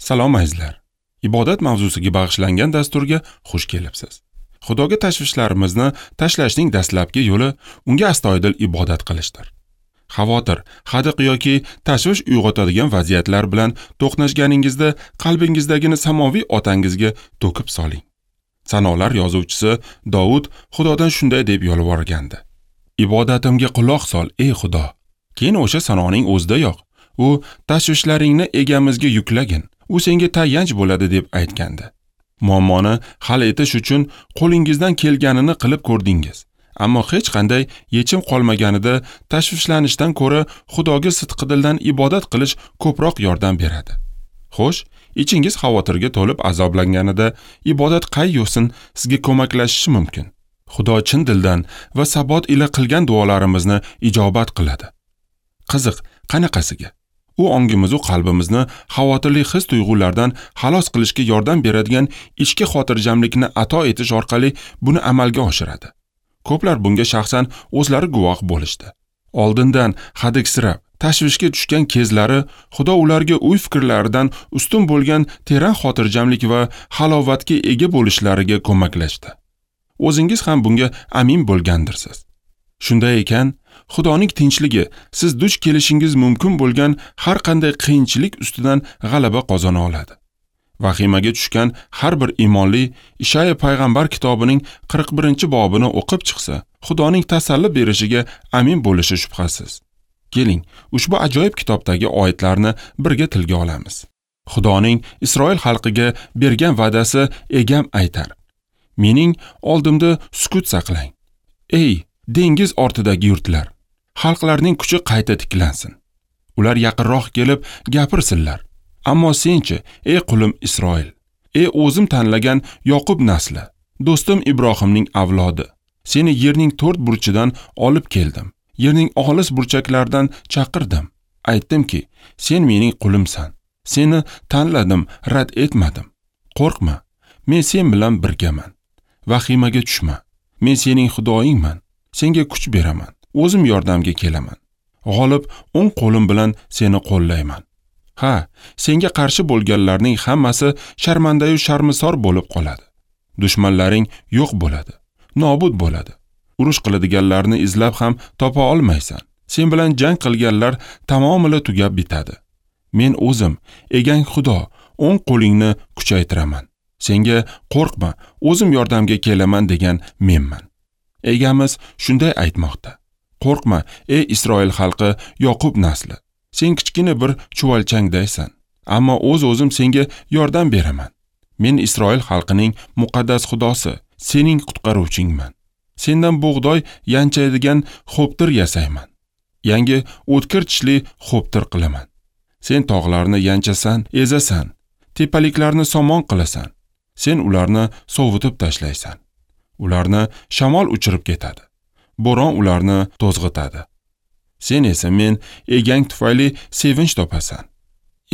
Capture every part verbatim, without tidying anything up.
Salom azizlar. Ibodat mavzusiga bag'ishlangan dasturga xush kelibsiz. Xudoga tashvishlarimizni tashlashning dastlabki yo'li unga astoydil ibodat qilishdir. Xavotir, hadiq yoki tashvish uyg'otadigan vaziyatlar bilan to'qnashganingizda qalbingizdagini samoviy otangizga to'kib soling. Sanolar yozuvchisi Dovud Xudodan shunday deb yolvorgandi: Ibodatimga quloq sol, ey Xudo. Keyin o'sha sanoning o'zidayoq u tashvishlaringni egamizga yuklagin, u senga tayanch bo'ladi deb aytgandi. Muammoni hal etish uchun qo'lingizdan kelganini qilib ko'rdingiz, ammo hech qanday yechim qolmaganida tashvishlanishdan ko'ra Xudoga sidqidildan ibodat qilish ko'proq yordam beradi. Xo'sh, ichingiz xavotirga to'lib azoblanganida ibodat qay yo'sin sizga ko'maklashishi mumkin? Xudo chin dildan va sabot ila qilgan duolarimizni ijobat qiladi. Qiziq, qanaqasiga? U ongimiz va qalbimizni xavotirli his tuyg'ulardan xalos qilishga yordam beradigan ichki xotirjamlikni ato etish orqali buni amalga oshiradi. Ko'plar bunga shaxsan o'zlari guvoh bo'lishdi. Oldindan hadiksirab, tashvishga tushgan kezlari Xudo ularga o'y fikrlaridan ustun bo'lgan teran xotirjamlik va halovatga ega bo'lishlariga ko'maklashdi. O'zingiz ham bunga amin bo'lgandirsiz. Shunday ekan, Xudoning tinchligi siz duch kelishingiz mumkin bo'lgan har qanday qiyinchilik ustidan g'alaba qozona oladi. Vahimaga tushgan har bir iymonli Ishaya payg'ambar kitobining qirq birinchi bobini o'qib chiqsa, Xudoning tasalli berishiga amin bo'lishi shubhasiz. Keling, ushbu ajoyib kitobdagi oyatlarni birga tilga olamiz. Xudoning Isroil xalqiga bergan va'dasi egam aytar: Mening oldimda sukut saqlang. Ey dengiz ortidagi yurtlar, xalqlarning kuchi qayta tiklansin. Ular yaqinroq kelib gapirsinlar. Ammo senchi, ey qulim Isroil, ey o'zim tanlagan Yoqub nasli, do'stim Ibrohimning avlodi, seni yerning to'rt burchidan olib keldim. Yerning olis burchaklaridan chaqirdim. Aytdimki, sen mening qulimsan. Seni tanladim, rad etmadim. Qo'rqma, men sen bilan birgaman. Vahimaga tushma. Men sening Xudoyingman. Senga kuch beraman. O'zim yordamga kelaman. G'olib o'ng qo'lim bilan seni qo'llayman. Ha, senga qarshi bo'lganlarning hammasi sharmandayu sharmisor bo'lib qoladi. Dushmanlaring yo'q bo'ladi, nobud bo'ladi. Urush qiladiganlarni izlab ham topa olmaysan. Sen bilan jang qilganlar tamomila tugab bitadi. Men o'zim, egang Xudo, o'ng qo'lingni kuchaytiraman. Senga qo'rqma, o'zim yordamga kelaman degan menman. Egamiz shunday aytmoqda: Qo'rqma, ey Isroil xalqi, Yoqub nasli. Sen kichkina bir chuvalchangdaysan, ammo o'z-o'zim senga yordam beraman. Men Isroil xalqining muqaddas Xudosi, sening qutqaruvchingman. Sendan bug'doy yanchaydigan xo'ptir yasayman. Yangi o'tkir tishli xo'ptir qilaman. Sen tog'larni yanchasan, ezasan, tepaliklarni somon qilasan. Sen ularni sovutib tashlaysan. Ularni shamol uchirib ketadi. Bo'ron ularni to'zg'itadi. Sen esa men egang tufayli sevinch topasan.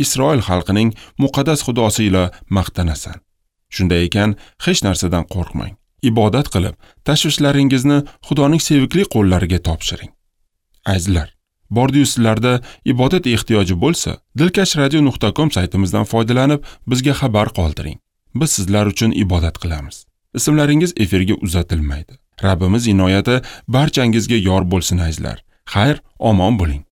Isroil xalqining muqaddas Xudosi ila maqtanasan. Shunday ekan, hech narsadan qo'rqmang. Ibodat qilib, tashvishlaringizni Xudoning sevikli qo'llariga topshiring. Azizlar, bordiyu sizlarda ibodat ehtiyoji bo'lsa, dilkash radio nuqta com saytimizdan foydalanib bizga xabar qoldiring. Biz sizlar uchun ibodat qilamiz. Ismlaringiz efirga uzatilmaydi. Rabbimiz inoyati barchangizga yor bo'lsin azizlar. Xayr, omon bo'ling.